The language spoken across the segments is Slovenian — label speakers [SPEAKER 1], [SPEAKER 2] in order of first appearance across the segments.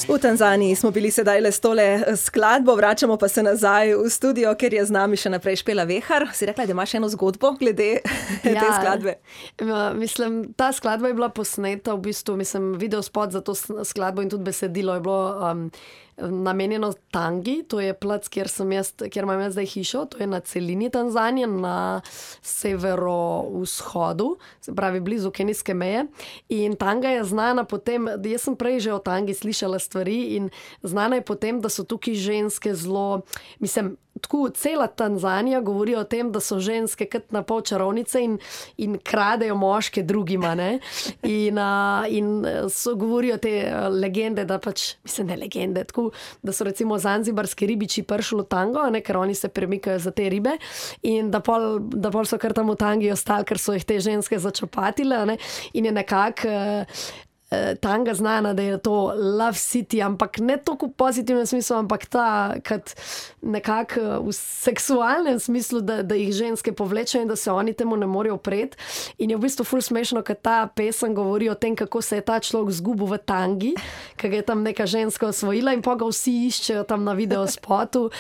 [SPEAKER 1] V Tanzaniji smo bili sedaj le s tole skladbo, vračamo pa se nazaj v studio, ker je z nami še naprej Špela Vehar. Si rekla, da imaš eno zgodbo glede te skladbe?
[SPEAKER 2] Mislim, ta skladba je bila posneta, v bistvu, video spot za to skladbo in tudi besedilo je bilo namenjeno Tangi, to je plac, kjer imam jaz zdaj hišo, to je na celini Tanzanije, na severovzhodu, se pravi blizu kenijske meje. In Tanga je znana potem, jaz sem prej že o Tangi slišala stvari in znana je potem, da so tukaj ženske zelo, tako cela Tanzanija govori o tem, da so ženske kot na pol čarovnice in kradejo moške drugima, ne. In so govorijo te legende, da pač, ne legende, tako, da so recimo zanzibarski ribiči prišli v Tango, ne, ker oni se premikajo za te ribe in da pol so kar tam v Tangi ostali, ker so jih te ženske začopatile, ne, in je nekako Tanga znana, da je to love city, ampak ne toliko v pozitivnem smislu, ampak kot nekako v seksualnem smislu, da jih ženske povlečejo in da se oni temu ne morejo upreti. In je v bistvu ful smešno, ker ta pesem govori o tem, kako se je ta človek zgubil v Tangi, ker je tam neka ženska osvojila in pa ga vsi iščejo tam na videospotu.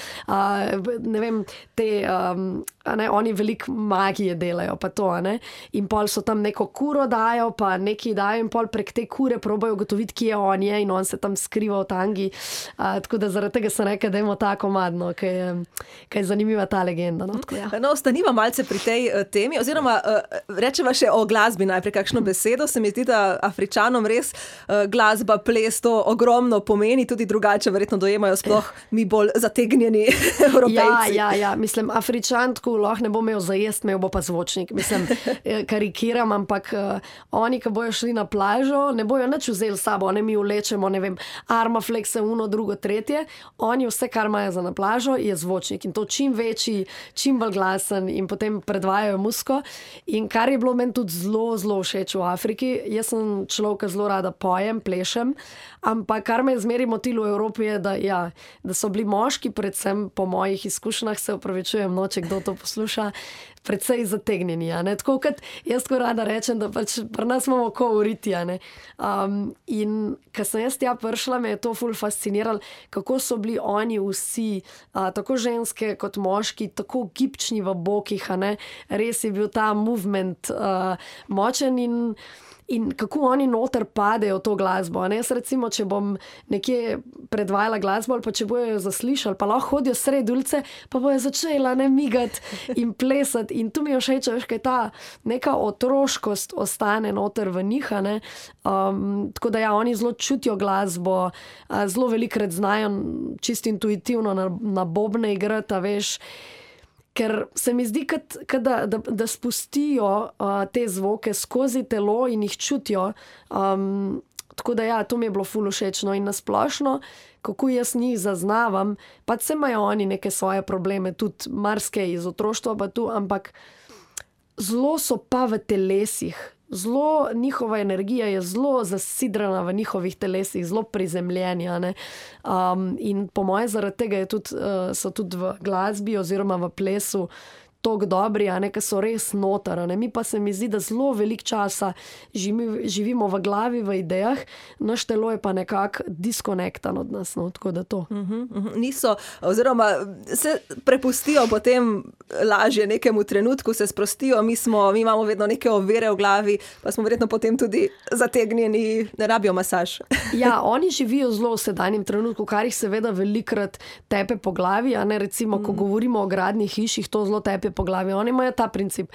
[SPEAKER 2] Ne vem, oni veliko magije delajo, pa to, ne. In pol so tam neko kuro dajo, pa nekaj dajo in pol prek te kure probajo ugotoviti, kje on je in on se tam skriva v Tangi. Tako da zaradi tega sem rekla, da imamo tako madno, ker je zanimiva ta legenda. No, tako, ja.
[SPEAKER 1] No, ostaniva malce pri tej temi, oziroma rečeva še o glasbi najprej kakšno besedo. Se mi zdi, da Afričanom res glasba, ples to ogromno pomeni, tudi drugače verjetno dojemajo sploh mi bolj zategnjeni Evropejci.
[SPEAKER 2] Ja, Afričan tako lahko ne bo imel za jest, imel bo pa zvočnik. Karikiram, ampak oni, ki bojo šli na plažo, ne bojo nič vzeli s sabo, mi vlečemo, ne vem, Armaflexe, uno, drugo, tretje. Oni vse, kar imajo za na plažo, je zvočnik in to čim večji, čim bolj glasen in potem predvajajo muziko. In kar je bilo meni tudi zelo, zelo všeč v Afriki, jaz sem človek, ki zelo rada pojem, plešem, ampak kar me je zmeraj motilo v Evropi je, da so bili moški, predvsem po mojih izkušnjah, se opravičujem, če kdo to posluša, predvsej zategnjeni, ne. Tako kot jaz tako rada rečem, da pač pri nas imamo ko v riti, ne. In ko sem jaz tja prišla, me je to ful fasciniralo, kako so bili oni vsi, tako ženske kot moški, tako gibčni v bokih, ne. Res je bil ta movement močen in kako oni noter padejo v to glasbo. Ne? Jaz recimo, če bom nekje predvajala glasbo ali pa če bojo jo zaslišali, pa lahko hodijo sredi ulice, pa bojo začela migati in plesati. In tu mi je všeč, kaj ta neka otroškost ostane noter v njih. Tako da oni zelo čutijo glasbo, zelo velikokrat znajo čisto intuitivno na bobne igrati, veš. Ker se mi zdi, da spustijo te zvoke skozi telo in jih čutijo. Tako da to mi je bilo ful všečno in nasplošno, kako jaz njih zaznavam, pa se imajo oni neke svoje probleme, tudi marsikaj iz otroštva pa tu, ampak zelo so pa v telesih. Njihova energija je zelo zasidrana v njihovih telesih, zelo prizemljeni. In po moje zaradi tega so tudi v glasbi oziroma v plesu toliko dobri, ker so res noter. Mi pa se mi zdi, da zelo veliko časa živimo v glavi, v idejah, naš telo je pa nekako diskonektan od nas, tako da to.
[SPEAKER 1] Niso, oziroma se prepustijo potem lažje nekemu trenutku, se sprostijo, mi imamo vedno neke ovire v glavi, pa smo verjetno potem tudi zategnjeni, ne rabijo masaž.
[SPEAKER 2] Ja, oni živijo zelo v sedanjem trenutku, kar jih seveda velikokrat tepe po glavi, recimo, ko govorimo o gradnjih hiš, jih to zelo tepe po glavi. Oni imajo ta princip.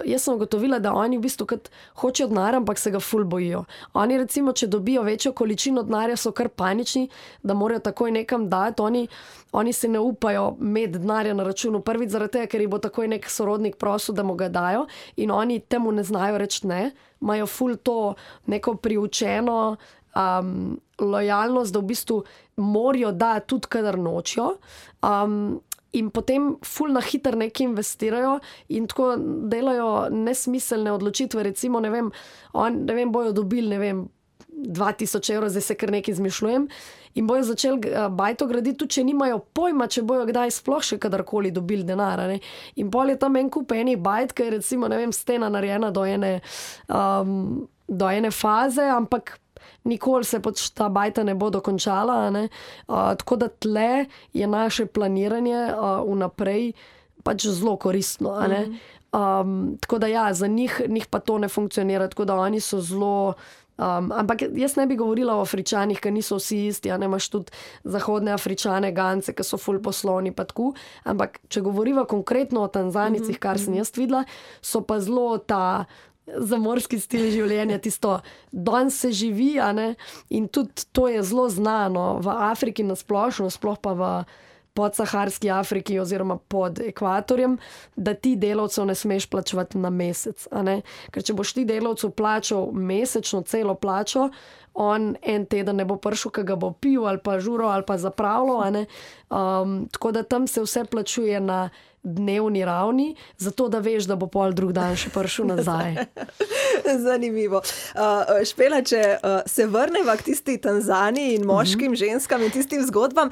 [SPEAKER 2] Jaz sem ugotovila, da oni v bistvu kot hočejo denar, ampak se ga ful bojijo. Oni recimo, če dobijo večjo količino denarja, so kar panični, da morajo takoj nekam dati. Oni se ne upajo imeti denarja na računu prvič zaradi tega, ker jih bo takoj nek sorodnik prosil, da mu ga dajo in oni temu ne znajo reči ne. Imajo ful to neko priučeno lojalnost, da v bistvu morajo dati tudi, kadar nočijo. In potem ful na hitro nekaj investirajo in tako delajo nesmiselne odločitve. Recimo, ne vem, bojo dobili, 2000 evrov, zdaj se kar nekaj izmišljujem, in bojo začeli bajto graditi, tudi če nimajo pojma, če bojo kdaj sploh še kadarkoli dobili denar. In pol je tam en kup enih bajt, ker je recimo, stena narejena do ene faze, ampak nikoli se pač ta bajta ne bo dokončala, a ne. Tako da tle je naše planiranje vnaprej pač zelo koristno, a ne. Tako da ja, za njih pa to ne funkcionira, tako da oni so zelo... ampak jaz ne bi govorila o Afričanih, ker niso vsi isti, a ne, imaš tudi zahodne Afričane, Gance, ki so ful poslovni pa tako, ampak če govoriva konkretno o Tanzanicih, kar sem jaz videla, so pa zelo ta zamorski stil življenja, tisto danes se živi, a ne, in tudi to je zelo znano v Afriki nasplošno, sploh pa v podsaharski Afriki oziroma pod ekvatorjem, da ti delavcev ne smeš plačevati na mesec, a ne? Ker če boš ti delavcu plačal mesečno celo plačo, on en teden ne bo prišel, ki ga bo pil ali pa žuro ali pa zapravljal, a ne? Tako da tam se vse plačuje na dnevni ravni, zato da veš, da bo pol drug dan še prišel nazaj.
[SPEAKER 1] Zanimivo. Špela, če se vrneva k tisti Tanzaniji in moškim, ženskam in tistim zgodbam,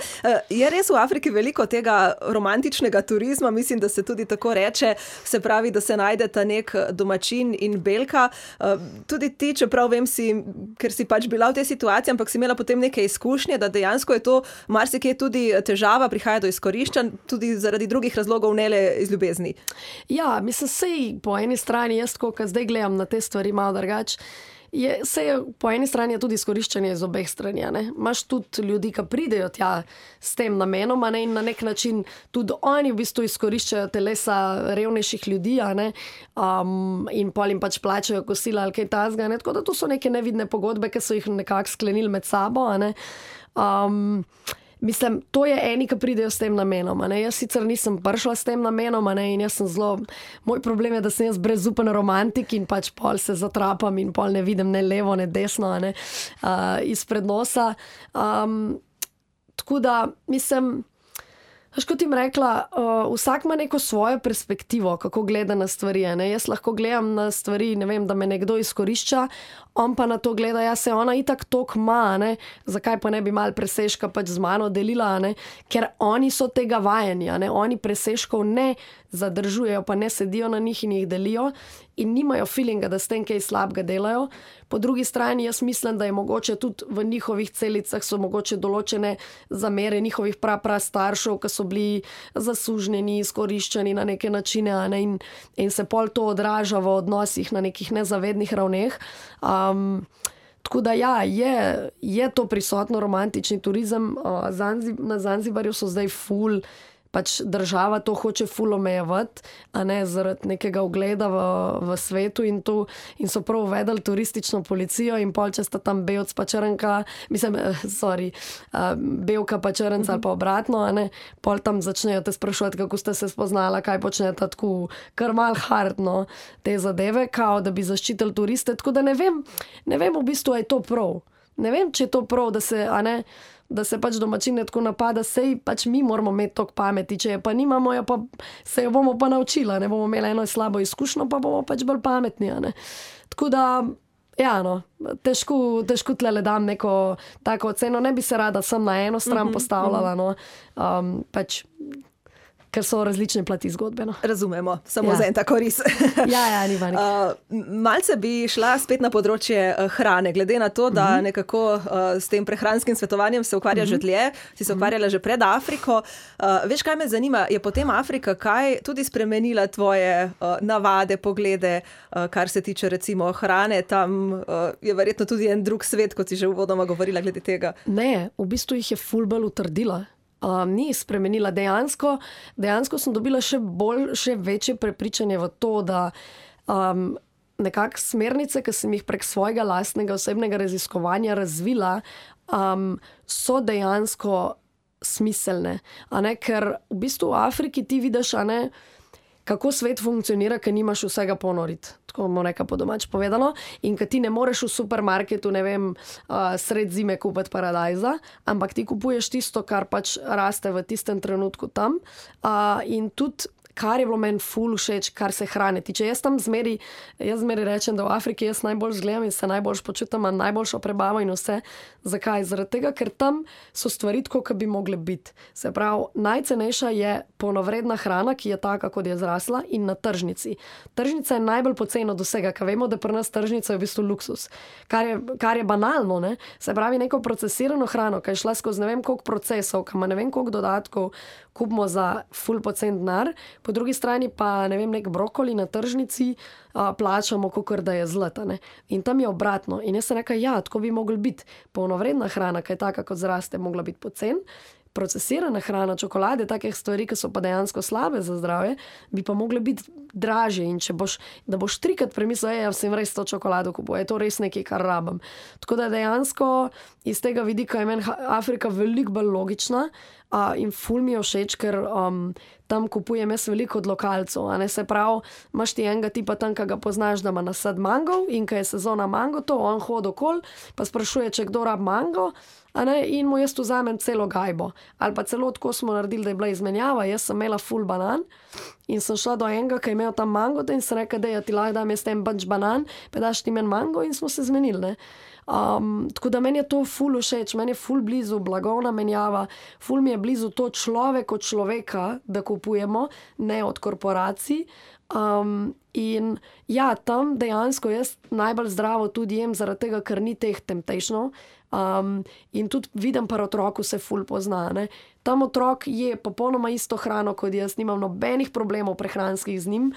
[SPEAKER 1] je res v Afriki veliko tega romantičnega turizma, mislim, da se tudi tako reče, se pravi, da se najdeta nek domačin in belka. Tudi ti, čeprav vem ker si pač bila v tej situaciji, ampak si imela potem neke izkušnje, da dejansko je to marsikje tudi težava, prihaja do izkoriščanj, tudi zaradi drugih razlogov, ne le iz ljubezni. Ja,
[SPEAKER 2] mislim, sej po eni strani, jaz ko zdaj gledam na te stvari malo drugače, po eni strani je tudi izkoriščanje iz obeh strani, ne. Imaš tudi ljudi, ki pridejo tja s tem namenom, ne, in na nek način tudi oni v bistvu izkoriščajo telesa revnejših ljudi, ne, in pol jim pač plačajo kosila ali kaj takega, ne, tako da to so neke nevidne pogodbe, ki so jih nekako sklenili med sabo, ne. Mislim, to je eni, ki pridejo s tem namenom, ne. Jaz sicer nisem prišla s tem namenom, ne, in jaz sem moj problem je, da sem jaz brezupen romantik in pač pol se zatrapam in pol ne vidim ne levo, ne desno, ne, izpred nosa. Tako da, mislim, kot jim rekla, vsak ima neko svojo perspektivo, kako gleda na stvari, ne. Jaz lahko gledam na stvari, ne vem, da me nekdo izkorišča, on pa na to gleda, ja, se ona itak tok ima, ne, zakaj pa ne bi malo presežka pač z mano delila, ne, ker oni so tega vajeni, ne, oni presežkov ne zadržujejo, pa ne sedijo na njih in jih delijo in nimajo feelinga, da s tem kaj slabega delajo. Po drugi strani jaz mislim, da je mogoče tudi v njihovih celicah so mogoče določene zamere njihovih staršev, ki so bili zasužnjeni, izkoriščeni na neke načine, ne, in se pol to odraža v odnosih na nekih nezavednih ravneh. Tako da ja, je to prisotno romantični turizem. Na Zanzibarju so zdaj ful, pač država to hoče ful omejevati, a ne, zaradi nekega ugleda v svetu in so prav uvedli turistično policijo in pol, če sta tam belc pa črnka, mislim, belka pa črnca ali pa obratno, a ne, pol tam začnejo te sprašovati, kako ste se spoznala, kaj počnete, tako kar mal hardno te zadeve, kao da bi zaščitili turiste, tako da ne vem v bistvu, je to prav. Ne vem, če je to prav, da se pač domačine tako napada, sej pač mi moramo imeti toliko pameti, če je pa nimamo, se jo bomo pa naučila, ne bomo imeli eno slabo izkušnjo, pa bomo pač bolj pametni, ne. Tako da, ja, no, težko tlele dam neko tako oceno, ne bi se rada sem na eno stran postavljala, no, pač, ker so različne plati zgodbe, no.
[SPEAKER 1] Razumemo, samo za en tako ris.
[SPEAKER 2] Ja, ni vanik.
[SPEAKER 1] Malce bi šla spet na področje hrane, glede na to, da nekako s tem prehranskim svetovanjem se ukvarja že dlje, si se ukvarjala že pred Afriko. Veš, kaj me zanima, je potem Afrika kaj tudi spremenila tvoje navade, poglede, kar se tiče recimo hrane, tam je verjetno tudi en drug svet, kot si že uvodoma govorila glede tega.
[SPEAKER 2] Ne, v bistvu jih je ful bolj utrdila. Ni spremenila. Dejansko sem dobila še večje prepričanje v to, da nekako smernice, ki sem jih prek svojega lastnega osebnega raziskovanja razvila, so dejansko smiselne. A ne, ker v bistvu v Afriki ti vidiš, a ne, kako svet funkcionira, ker nimaš vsega ponoriti, tako bomo nekaj po domač povedano, in ker ti ne moreš v supermarketu, ne vem, sred zime kupiti paradajza, ampak ti kupuješ tisto, kar pač raste v tistem trenutku tam, in tudi kar je bilo meni ful všeč, kar se hrane tiče. Jaz zmeri rečem, da v Afriki jaz najbolj zgledam in se najbolj počutim, imam najboljšo prebavo in vse. Zakaj? Zaradi tega, ker tam so stvari tako, kot bi mogle biti. Se pravi, najcenejša je polnovredna hrana, ki je taka, kot je zrasla, in na tržnici. Tržnica je najbolj poceni od vsega, ker vemo, da pri nas tržnica je v bistvu luksus, kar je banalno, ne? Se pravi, neko procesirano hrano, ki je šla skozi ne vem koliko procesov, ki ima ne vem koliko dodatkov, kupimo za ful pocen denar, po drugi strani pa ne vem, nek brokoli na tržnici plačamo, kakor da je zlata, ne? In tam je obratno. In jaz sem rekla, ja, tako bi mogla biti polnovredna hrana, ki je taka, kot zraste, mogla biti pocen. Procesirana hrana, čokolade, takih stvari, ki so pa dejansko slabe za zdravje, bi pa mogle biti dražje. In če boš 3-krat premislil, ja, sem res to čokolado kupil, je to res nekaj, kar rabim. Tako da dejansko iz tega vidika je meni Afrika veliko bolj logična in ful mi je všeč, ker tam kupujem jaz veliko od lokalcev. Se pravi, imaš ti enega tipa tam, ki ga poznaš, da ima nasad mangov in ko je sezona mango, to on hodi okoli, pa sprašuje, če kdo rab mango, in mu jaz vzamem celo gajbo. Ali pa celo tako smo naredili, da je bila izmenjava, jaz sem imela ful banan in sem šla do enega, ki je imel tam mango, in sem rekla, da ti lahko dam jaz ten bunch banan, pa daš ti meni mango, in smo se zmenili, ne. Tako da meni je to ful všeč, meni je ful blizu blagovna menjava, ful mi je blizu to človek od človeka, da kupujemo, ne od korporacij. In ja, tam dejansko jaz najbolj zdravo tudi jem, zaradi tega, ker ni teh temptationov. In tudi vidim pri otroku se ful pozna, ne. Tam otrok je popolnoma isto hrano kot jaz, nimam nobenih problemov prehranskih z njim,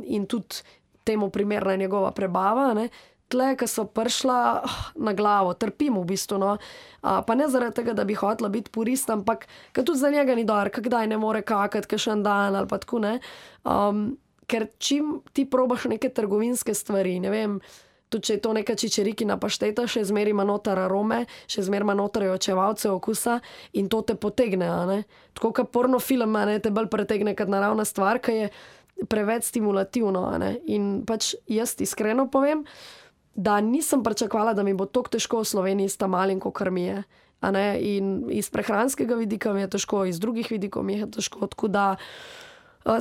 [SPEAKER 2] in tudi temu primerna je njegova prebava, ne. Tle, ko so prišla na glavo, trpim v bistvu, no. Pa ne zaradi tega, da bi hotela biti purist, ampak ker tudi za njega ni dobro, kdaj ne more kakati, kakšen dan ali pa tako, ne. Ker čim ti probaš neke trgovinske stvari, ne vem, tudi če je to neka čičerikina pašteta, še zmeraj ima noter arome, še zmeraj ima noter očevalce okusa in to te potegne, a ne. Tako kot pornofilm, a ne, te bolj pretegne kot naravna stvar, ki je preveč stimulativno, a ne. In pač jaz iskreno povem, da nisem pričakovala, da mi bo tako težko v Sloveniji s tamalim, kakor mi je. A ne? In iz prehranskega vidika mi je težko, iz drugih vidikov mi je težko, tako da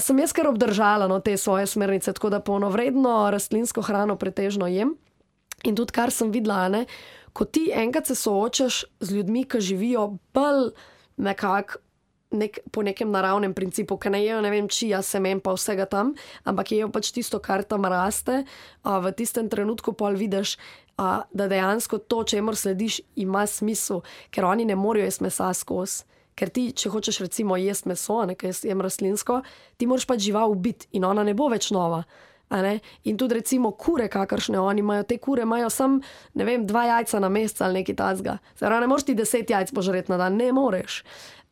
[SPEAKER 2] sem jaz kar obdržala, no, te svoje smernice, tako da polnovredno rastlinsko hrano pretežno jem. In tudi kar sem videla, ne, ko ti enkrat se soočaš z ljudmi, ki živijo bolj nekako po nekem naravnem principu, ki ne jejo, ne vem, čija semen pa vsega tam, ampak jejo pač tisto, kar tam raste, v tistem trenutku pol vidiš, da dejansko to, čemur slediš, ima smisel, ker oni ne morejo jesti mesa skozi. Ker ti, če hočeš recimo jesti meso, ker jaz jem rastlinsko, ti moraš pač žival ubiti in ona ne bo več nova. In tudi recimo kure, kakršne oni imajo, te kure imajo samo, ne vem, 2 jajca na mesec ali nekaj takega. Zdaj, ne moreš ti 10 jajc požreti na dan, ne moreš.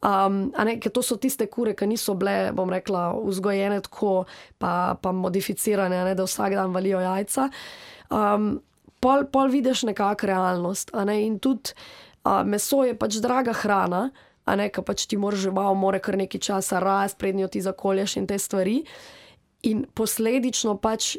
[SPEAKER 2] Ker to so tiste kure, ki niso bile, bom rekla, vzgojene tako, pa modificirane, da vsak dan valijo jajca. Pol vidiš nekako realnost, in tudi meso je pač draga hrana, ker pač ti moraš žival, mora kar nekaj časa rast, prednjo ti zakolješ in te stvari. In posledično pač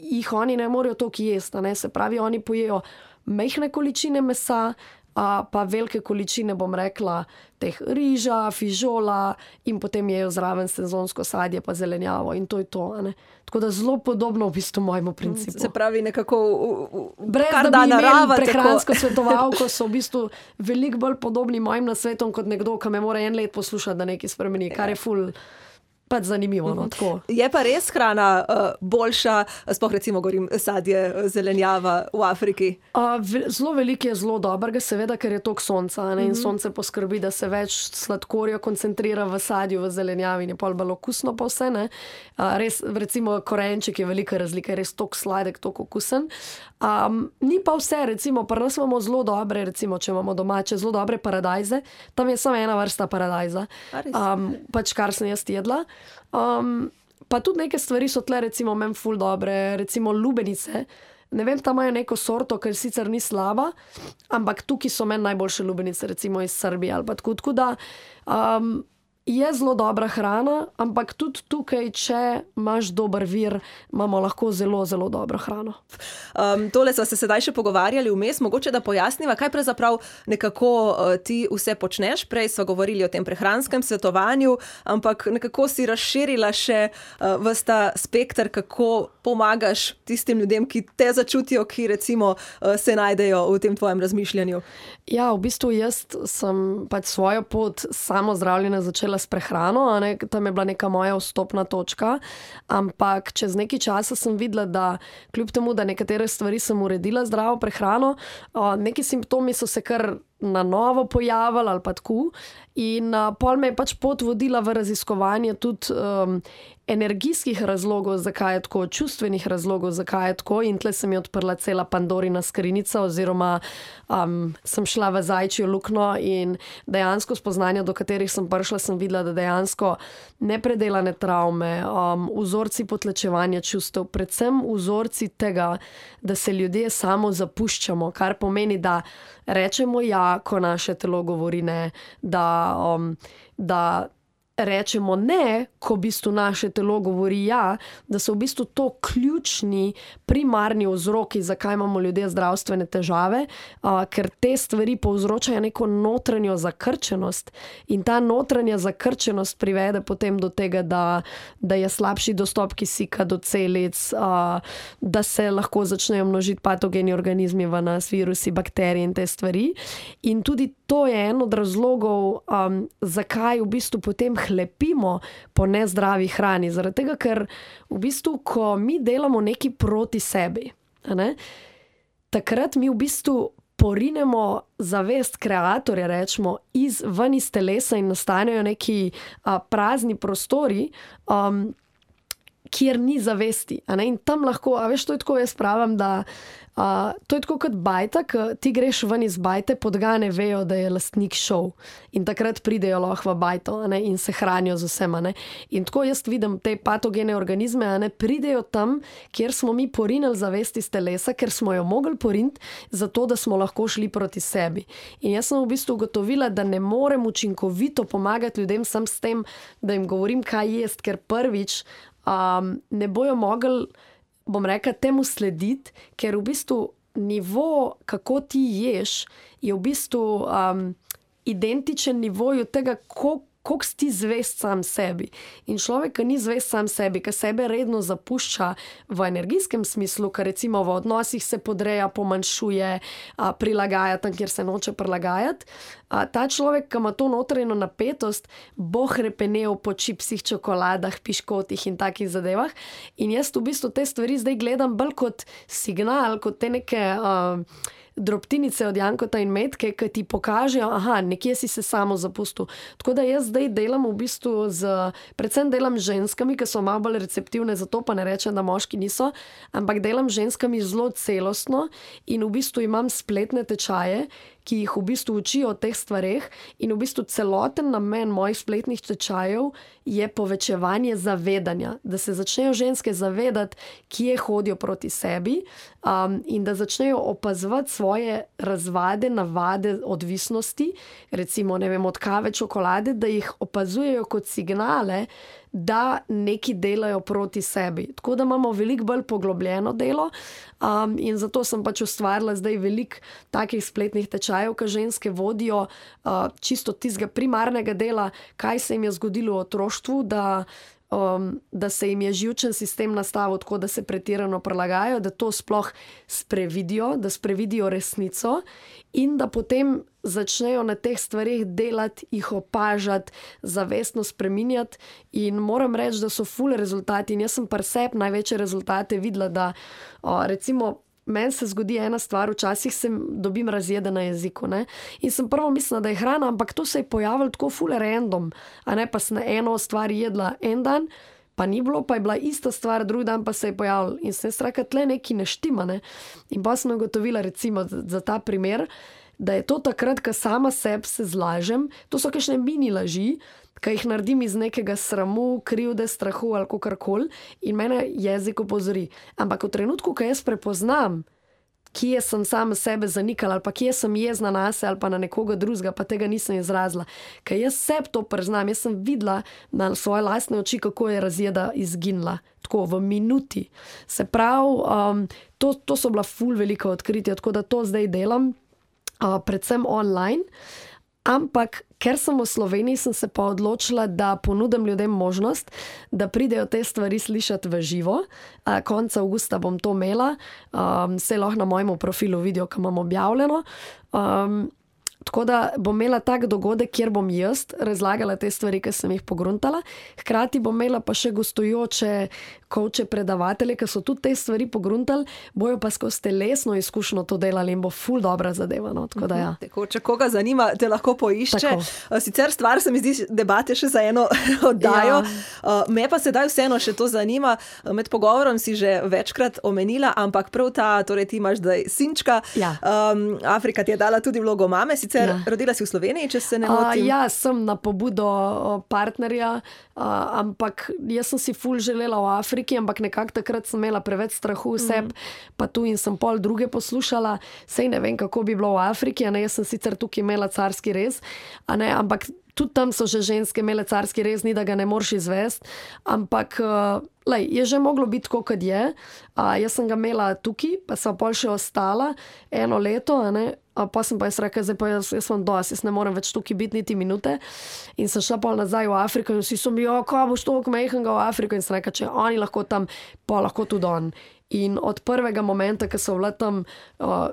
[SPEAKER 2] jih oni ne morejo toliko jesti, se pravi, oni pojejo majhne količine mesa, pa velike količine, bom rekla, teh riža, fižola in potem jejo zraven sezonsko sadje pa zelenjavo in to je to, Tako da zelo podobno v bistvu mojemu principu.
[SPEAKER 1] Se pravi nekako
[SPEAKER 2] brez da bi imeli prehransko svetovalko, so v bistvu veliko bolj podobni mojim nasvetom kot nekdo, ki me mora 1 let poslušati, da nekaj spremeni, kar je ful pač zanimivo, no, tako.
[SPEAKER 1] Je pa res hrana boljša, sploh recimo govorim sadje, zelenjava v Afriki?
[SPEAKER 2] Zelo veliko je zelo dobrega, seveda, ker je toliko sonca, in sonce poskrbi, da se več sladkorja koncentrira v sadju, v zelenjavi in je pol bolj okusno pa vse, ne. Res, recimo korenček je velika razlika, je res toliko sladek, toliko okusen. Ni pa vse, recimo, pri nas imamo zelo dobre, recimo, če imamo domače, zelo dobre paradajze, tam je samo ena vrsta paradajza, pač kar sem jaz jedla. Pa tudi neke stvari so tle, recimo, meni ful dobre, recimo lubenice, ne vem, tam imajo neko sorto, ker sicer ni slaba, ampak tukaj so meni najboljše lubenice, recimo iz Srbije ali pa tako da, Je zelo dobra hrana, ampak tudi tukaj, če imaš dober vir, imamo lahko zelo, zelo dobro hrano.
[SPEAKER 1] Tole sva se sedaj še pogovarjali vmes, mogoče da pojasniva, kaj pravzaprav nekako ti vse počneš. Prej sva govorili o tem prehranskem svetovanju, ampak nekako si razširila še ves ta spekter, kako pomagaš tistim ljudem, ki te začutijo, ki recimo se najdejo v tem tvojem razmišljanju.
[SPEAKER 2] Ja, v bistvu jaz sem pač svojo pot samozdravljenja začela s prehrano, tam je bila neka moja vstopna točka, ampak čez nekaj časa sem videla, da kljub temu, da nekatere stvari sem uredila zdravo prehrano, neki simptomi so se kar na novo pojavili ali pa tako in pol me je pač pot vodila v raziskovanje tudi energijskih razlogov, zakaj je tako, čustvenih razlogov, zakaj je tako in tle se mi je odprla cela Pandorina skrinjica oziroma sem šla v zajčjo luknjo in dejansko spoznanja, do katerih sem prišla, sem videla, da dejansko nepredelane travme, vzorci potlačevanja čustev, predvsem vzorci tega, da se ljudje samo zapuščamo, kar pomeni, da rečemo ja, ko naše telo govori ne, da rečemo ne, ko v bistvu naše telo govori ja, da so v bistvu to ključni, primarni vzroki, zakaj imamo ljudje zdravstvene težave, ker te stvari povzročajo neko notranjo zakrčenost in ta notranja zakrčenost privede potem do tega, da je slabši dostop kisika do celic, da se lahko začnejo množiti patogeni organizmi v nas, virusi, bakterije in te stvari. In tudi to je en od razlogov, zakaj v bistvu potem hlepimo po nezdravi hrani. Zaradi tega, ker v bistvu, ko mi delamo nekaj proti sebi, takrat mi v bistvu porinemo zavest kreatorja, rečemo, ven iz telesa in nastanejo neki prazni prostori, kjer ni zavesti. In tam lahko, veš, to je tako, jaz pravim, da to je tako kot bajta, ki ti greš ven iz bajte, podgane vejo, da je lastnik šel in takrat pridejo lahko v bajto in se hranijo z vsem. In tako jaz vidim te patogene organizme, pridejo tam, kjer smo mi porinili zavest iz telesa, ker smo jo mogli poriniti, zato da smo lahko šli proti sebi. In jaz sem v bistvu ugotovila, da ne morem učinkovito pomagati ljudem sam s tem, da jim govorim, kaj jest, ker prvič ne bojo mogli, bom rekla, temu slediti, ker v bistvu nivo, kako ti ješ, je v bistvu identičen nivoju tega, koliko si ti zvest sam sebi. In človek, ki ni zvest sam sebi, ki sebe redno zapušča v energijskem smislu, ki recimo v odnosih se podreja, pomanjšuje, prilagaja tam, kjer se noče prilagajati, ta človek, ki ima to notranjo napetost, bo hrepenel po čipsih, čokoladah, piškotih in takih zadevah. In jaz v bistvu te stvari zdaj gledam bolj kot signal, kot te neke drobtinice od jankota in metke, ki ti pokažejo, nekje si se samo zapustil. Tako da jaz zdaj delam v bistvu predvsem delam z ženskami, ki so malo bolj receptivne, zato pa ne rečem, da moški niso, ampak delam z ženskami zelo celostno in v bistvu imam spletne tečaje, ki jih v bistvu učijo o teh stvareh in v bistvu celoten namen mojih spletnih tečajev je povečevanje zavedanja, da se začnejo ženske zavedati, kje hodijo proti sebi in da začnejo opazovati svoje razvade, navade, odvisnosti, recimo, ne vem, od kave, čokolade, da jih opazujejo kot signale, da neki delajo proti sebi. Tako da imamo veliko bolj poglobljeno delo in zato sem pač ustvarila zdaj veliko takih spletnih tečajev, ki ženske vodijo čisto tistega primarnega dela, kaj se jim je zgodilo v otroštvu, da se jim je živčen sistem nastavil tako, da se pretirano prilagajajo, da to sploh sprevidijo, da sprevidijo resnico in da potem začnejo na teh stvarih delati, jih opažati, zavestno spreminjati in moram reči, da so ful rezultati in jaz sem pri sebi največje rezultate videla, da recimo meni se zgodi ena stvar, včasih dobim razjede na jeziku, in sem prvo mislila, da je hrana, ampak to se je pojavilo tako ful random, pa sem na eno stvar jedla en dan, pa ni bilo, pa je bila ista stvar, drugi dan pa se je pojavil in sem straka, tle nekaj ne štima, in pa sem ugotovila recimo za ta primer, da je to takrat, ko sama sebi se zlažem, to so kakšne mini laži, ki jih naredim iz nekega sramu, krivde, strahu ali kakorkoli in mene jezik opozori. Ampak v trenutku, ko jaz prepoznam kje sem sama sebe zanikala ali pa kje sem jezna na se ali pa na nekoga drugega, pa tega nisem izrazila. Ker jaz sebi to priznam, jaz sem videla na svoje lastne oči, kako je razjeda izginila. Tako v minuti. Se pravi, to so bila ful velika odkritja, tako da to zdaj delam, predvsem online. Ampak, ker sem v Sloveniji, sem se pa odločila, da ponudim ljudem možnost, da pridejo te stvari slišati v živo. Konca avgusta bom to imela, se lahko na mojem profilu vidijo, ko imam objavljeno. Tako da bom imela tak dogodek, kjer bom jaz razlagala te stvari, ki sem jih pogruntala. Hkrati bom imela pa še gostujoče coache, predavatelje, ki so tudi te stvari pogruntali, bojo pa skozi telesno izkušnjo to delali in bo ful dobra zadeva. No? Tako da ja.
[SPEAKER 1] Tako, če koga zanima, te lahko poišče. Tako. Sicer stvar se mi zdi debate še za eno oddajo. Ja. Me pa sedaj vseeno še to zanima. Med pogovorom si že večkrat omenila, ampak prav ta, torej ti imaš zdaj sinčka.
[SPEAKER 2] Ja.
[SPEAKER 1] Afrika ti je dala tudi vlogo mame. Rodila si v Sloveniji, če se ne motim?
[SPEAKER 2] Ja, sem na pobudo partnerja, ampak jaz sem si ful želela v Afriki, ampak nekako takrat sem imela preveč strahu vseb, pa tu in sem pol druge poslušala. Sej ne vem, kako bi bilo v Afriki, jaz sem sicer tukaj imela carski rez, ampak tudi tam so že ženske imele carski rez, ni da ga ne moreš izvesti, ampak je že moglo biti tako, kot je. Jaz sem ga imela tukaj, pa sem pol še ostala 1 leto, pa sem pa jaz rekla, zdaj pa jaz sem dosti, jaz ne morem več tukaj biti niti minute. In sem šla pol nazaj v Afriko in vsi so mi, ko boš toliko mehanga v Afriko, in sem rekla, če oni lahko tam, pa lahko tudi on. In od prvega momenta, ko so bila tam,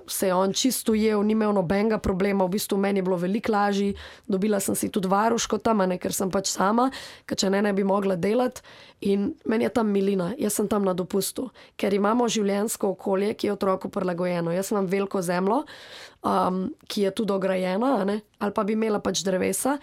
[SPEAKER 2] se je on čisto ujel, ni imel nobenega problema, v bistvu meni je bilo veliko lažje, dobila sem si tudi varuško tam, ker sem pač sama, ker če ne bi mogla delati. In meni je tam milina, jaz sem tam na dopustu, ker imamo življenjsko okolje, ki je otroku prilagojeno. Jaz imam veliko zemljo, ki je tudi ograjena, ali pa bi imela pač drevesa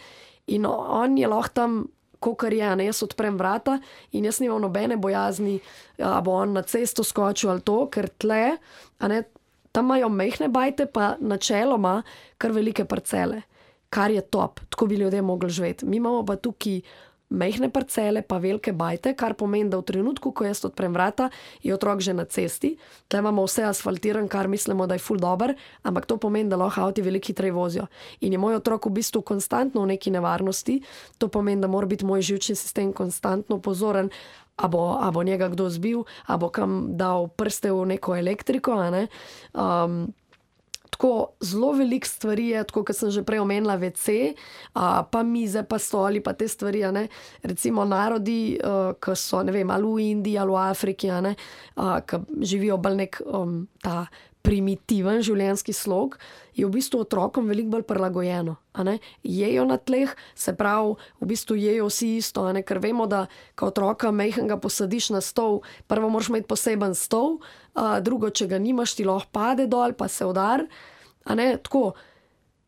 [SPEAKER 2] in on je lahko tam, kakor je, jaz odprem vrata in jaz nimam nobene bojazni, bo on na cesto skočil ali to, ker tle, tam imajo mehne bajte, pa načeloma kar velike parcele, kar je top, tako bi ljudje mogli živeti. Mi imamo pa tukaj mehne parcele, pa velike bajte, kar pomeni, da v trenutku, ko jaz odprem vrata, je otrok že na cesti. Tle imamo vse asfaltiran, kar mislimo, da je ful dober, ampak to pomeni, da lahko avti veliko hitreje vozijo. In je moj otrok v bistvu konstantno v neki nevarnosti, to pomeni, da mora biti moj živčni sistem konstantno pozoren, a bo njega kdo zbil, a bo kam dal prste v neko elektriko, Tako zelo veliko stvari je, tako kot sem že prej omenila, WC, pa mize, pa stoli, pa te stvari, Recimo narodi, ki so, ne vem, ali v Indiji, ali v Afriki, ki živijo bolj nek ta primitiven življenjski slog, je v bistvu otrokom veliko bolj prilagojeno. Jejo na tleh, se pravi, v bistvu jejo vsi isto, ker vemo, da ko otroka mehanga posadiš na stol, prvo moraš imeti poseben stol, drugo, če ga nimaš, ti lahko pade dol, pa se udar. Tako,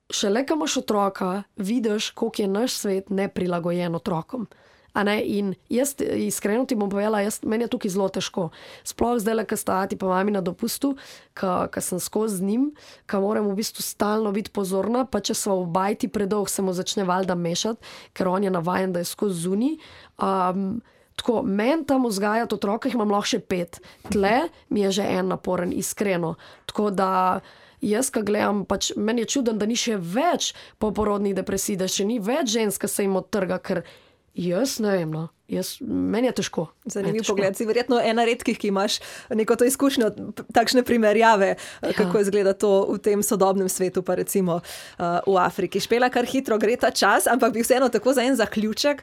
[SPEAKER 2] šele, ko imaš otroka, vidiš, koliko je naš svet neprilagojen otrokom. In jaz iskreno ti bom povedala, meni je tukaj zelo težko. Sploh zdaj, ko sta ati pa mami na dopustu, ko sem skozi z njim, ko moram v bistvu stalno biti pozorna, pa če so v bajti predolg, se mu začne valjda mešati, ker on je navajen, da je skozi zunaj. Tako, meni tam vzgajati otroka, jih imam lahko še 5. Tle mi je že en naporen, iskreno. Tako da jaz, ko gledam, pač meni je čuden, da ni še več poporodnih depresij, da še ni več žensk, ki se jim odtrga, ker jaz ne vem, meni je težko.
[SPEAKER 1] Zanimiv pogled. Si verjetno ena redkih, ki imaš neko to izkušnjo, takšne primerjave, kako izgleda to v tem sodobnem svetu, pa recimo v Afriki. Špela, kar hitro gre ta čas, ampak bi vseeno tako za en zaključek,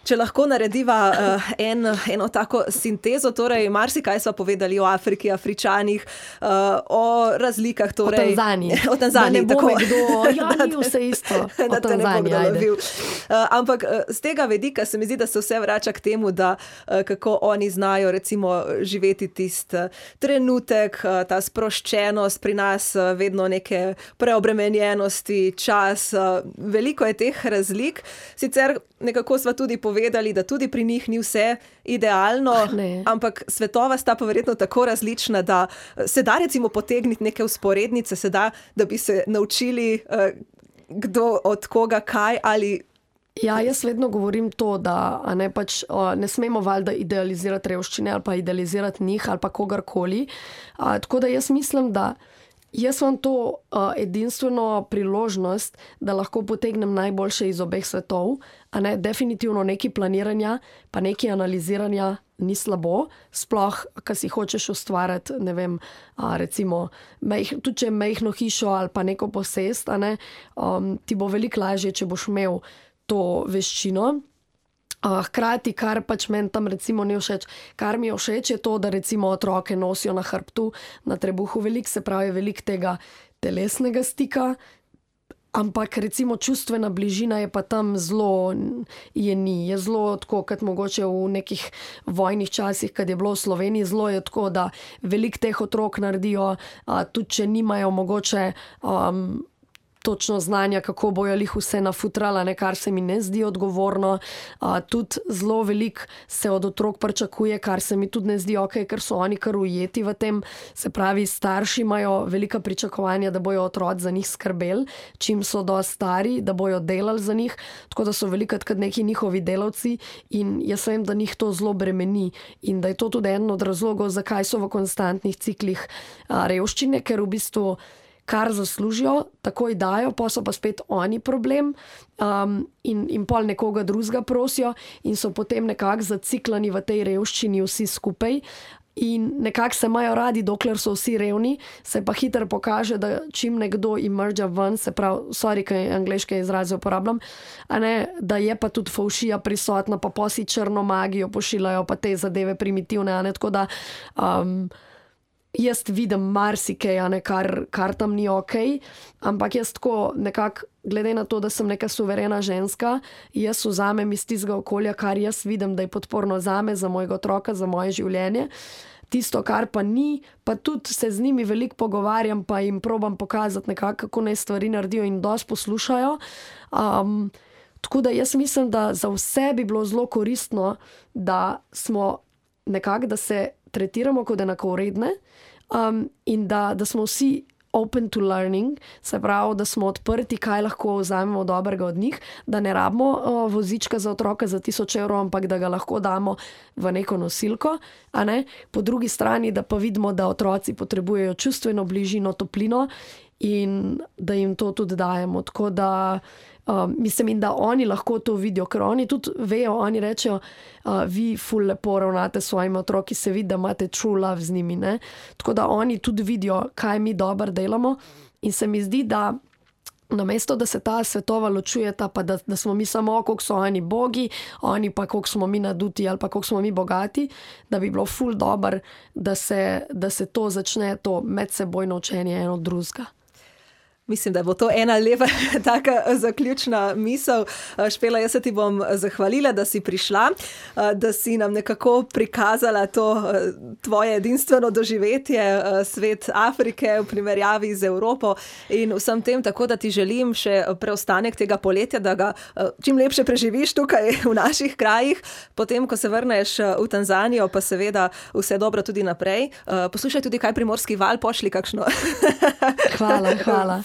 [SPEAKER 1] če lahko narediva eno tako sintezo, torej marsikaj sva povedali o Afriki, Afričanih, o razlikah. Torej,
[SPEAKER 2] o Tanzaniji.
[SPEAKER 1] Tako.
[SPEAKER 2] Ni vse isto.
[SPEAKER 1] Da te ne bo kdo lovil. Ampak z tega vedika se mi zdi, da se vse vrača k temu, da kako oni znajo recimo živeti tisti trenutek, ta sproščenost, pri nas vedno neke preobremenjenosti, čas, veliko je teh razlik. Sicer nekako sva tudi povedali, da tudi pri njih ni vse idealno, ampak svetova sta pa verjetno tako različna, da se da recimo potegniti neke vzporednice, se da, da bi se naučili kdo od koga kaj ali.
[SPEAKER 2] Ja, jaz vedno govorim to, da ne smemo valjda idealizirati revščine ali pa idealizirati njih ali pa kogarkoli. Tako da jaz mislim, da Jaz imam to edinstveno priložnost, da lahko potegnem najboljše iz obeh svetov, a ne, definitivno nekaj planiranja, pa nekaj analiziranja ni slabo, sploh, ko si hočeš ustvarjati, ne vem, recimo, tudi če majhno hišo ali pa neko posest, a ne, ti bo veliko lažje, če boš imel to veščino. Hkrati, kar pač meni tam recimo ni všeč, kar mi je všeč, je to, da recimo otroke nosijo na hrbtu, na trebuhu veliko, se pravi veliko tega telesnega stika, ampak recimo čustvena bližina je pa tam zelo, je zelo tako, kot mogoče v nekih vojnih časih, kad je bilo v Sloveniji, zelo je tako, da veliko teh otrok naredijo, tudi če nimajo mogoče točno znanja, kako bojo lih vse nafutrala, kar se mi ne zdi odgovorno. Tudi zelo veliko se od otrok pričakuje, kar se mi tudi ne zdi okej, ker so oni kar ujeti v tem. Se pravi, starši imajo velika pričakovanja, da bojo otroci za njih skrbeli, čim so dosti stari, da bojo delali za njih, tako da so velikokrat neki njihovi delavci in jaz vem, da njih to zelo bremeni in da je to tudi eden od razlogov, zakaj so v konstantnih ciklih revščine, ker v bistvu kar zaslužijo, takoj dajo, pa so pa spet oni problem in pol nekoga drugega prosijo in so potem nekako zaciklani v tej revščini vsi skupaj in nekako se imajo radi, dokler so vsi revni, se pa hitro pokaže, da čim nekdo emerge ven, se pravi, sorry, kaj angleške izraze uporabljam, a ne, da je pa tudi fovšija prisotna, pa posi črno magijo pošiljajo, pa te zadeve primitivne, a ne, tako da jaz vidim marsikaj, kar tam ni okej, ampak jaz tako nekako, glede na to, da sem neka suverena ženska, jaz vzamem iz tistega okolja, kar jaz vidim, da je podporno zame, za mojega otroka, za moje življenje. Tisto, kar pa ni, pa tudi se z njimi veliko pogovarjam, pa jim probam pokazati nekako, kako naj stvari naredijo in dosti poslušajo. Tako da jaz mislim, da za vse bi bilo zelo koristno, da smo nekako, da se tretiramo kot enakovredne, in da smo vsi open to learning, se pravi, da smo odprti, kaj lahko vzamemo dobrega od njih, da ne rabimo vozička za otroka za 1000 evrov, ampak da ga lahko damo v neko nosilko, a ne? Po drugi strani, da pa vidimo, da otroci potrebujejo čustveno bližino, toplino in da jim to tudi dajemo. Tako da mislim, in da oni lahko to vidijo, ker oni tudi vejo, oni rečejo, vi ful lepo ravnate s svojimi otroki, se vidi, da imate true love z njimi, ne? Tako da oni tudi vidijo, kaj mi dobro delamo in se mi zdi, da namesto, da se ta svetova ločujeta, pa da smo mi samo, koliko so oni bogi, oni pa koliko smo mi naduti ali pa koliko smo mi bogati, da bi bilo ful dobro, da se to začne, to medsebojno učenje eno od drugega.
[SPEAKER 1] Mislim, da bo to ena lepa taka zaključna misel. Špela, jaz se ti bom zahvalila, da si prišla, da si nam nekako prikazala to tvoje edinstveno doživetje, svet Afrike v primerjavi z Evropo in vsem tem, tako da ti želim še preostanek tega poletja, da ga čim lepše preživiš tukaj v naših krajih, potem, ko se vrneš v Tanzanijo, pa seveda vse dobro tudi naprej. Poslušaj tudi kaj Primorski val, pošli kakšno.
[SPEAKER 2] Hvala.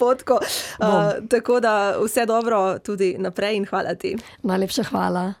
[SPEAKER 1] Tako da vse dobro tudi naprej in hvala ti.
[SPEAKER 2] Najlepša hvala.